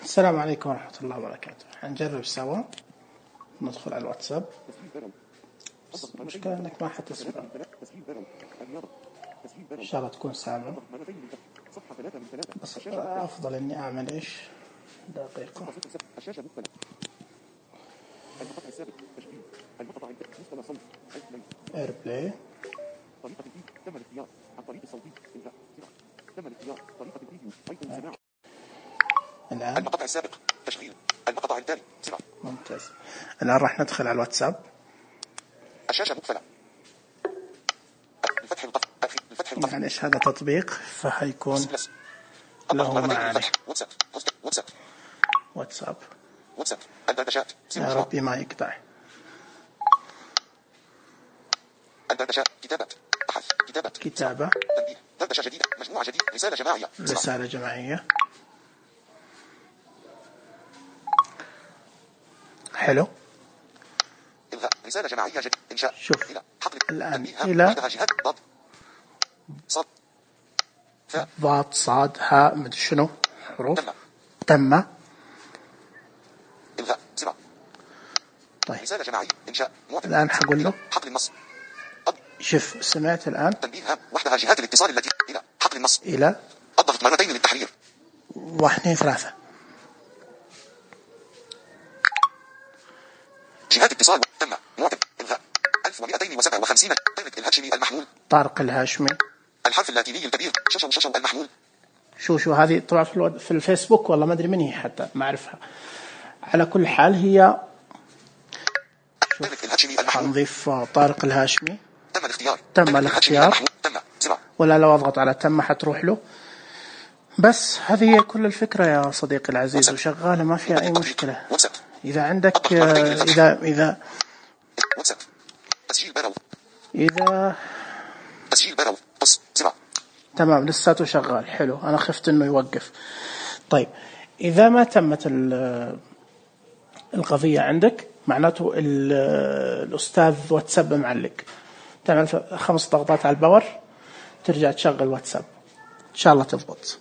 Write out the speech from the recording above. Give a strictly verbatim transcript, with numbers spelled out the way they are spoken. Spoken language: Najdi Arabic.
السلام عليكم ورحمة الله وبركاته. حنجرب سوا ندخل على الواتساب. المشكلة انك ما حتسمع، ان شاء الله تكون سامع، بس افضل اني اعمل ايش دقيقة. ايربلاي. الآن المقطع السابق تشغيل المقطع التالي سرعة. ممتاز. الآن راح ندخل على الواتساب. الشاشة مقفلة. الفتح القف الفتح القف يعني ايش هذا تطبيق فهيكون له معاني. واتساب واتساب واتساب واتساب الدردشات. يا ربي ما يقطع. الدردشات كتابات بحث كتابات كتابة تنبيه دردشة جديدة مجموعة جديدة رسالة جماعية رسالة جماعية. حلو. إلغاء رسالة جماعية جديدة إنشاء شوف إلى حقل الآن إلى جهات ضاد صاد ثاء ضاد صاد هاء مدري شنو حروف تم تم. إلغاء سرعة. طيب رسالة جماعية إنشاء معتمد. الآن حقول له حقل النص. شوف سمعت الآن تنبيه هام وحدها جهات الاتصال التي إلى حقل النص. إلى الضغط مرتين للتحرير. واحد اثنين ثلاثة. جهات اتصال تم معتمد إلغاء ألف ومئتين وسبعة وخمسين. طارق الهاشمي المحمول. طارق الهاشمي. الحرف اللاتيني الكبير ششو ششو المحمول. شو شو هذه طبعا في, الو... في الفيسبوك والله ما أدري من هي حتى ما أعرفها. على كل حال هي طارق الهاشمي المحمول. حنضيف طارق الهاشمي. تم الاختيار. تم الاختيار. تم سرعة. ولا لو أضغط على تم حتروح له. بس هذه هي كل الفكرة يا صديقي العزيز وشغالة ما فيها أي مشكلة. إذا عندك إذا إذا واتساب تسجيل برو. إذا تسجيل برو قص سرعة. تمام لساته شغال. حلو. أنا خفت إنه يوقف. طيب إذا ما تمت القضية عندك معناته الأستاذ واتساب معلق. تعمل خمس ضغطات على الباور ترجع تشغل واتساب إن شاء الله تضبط.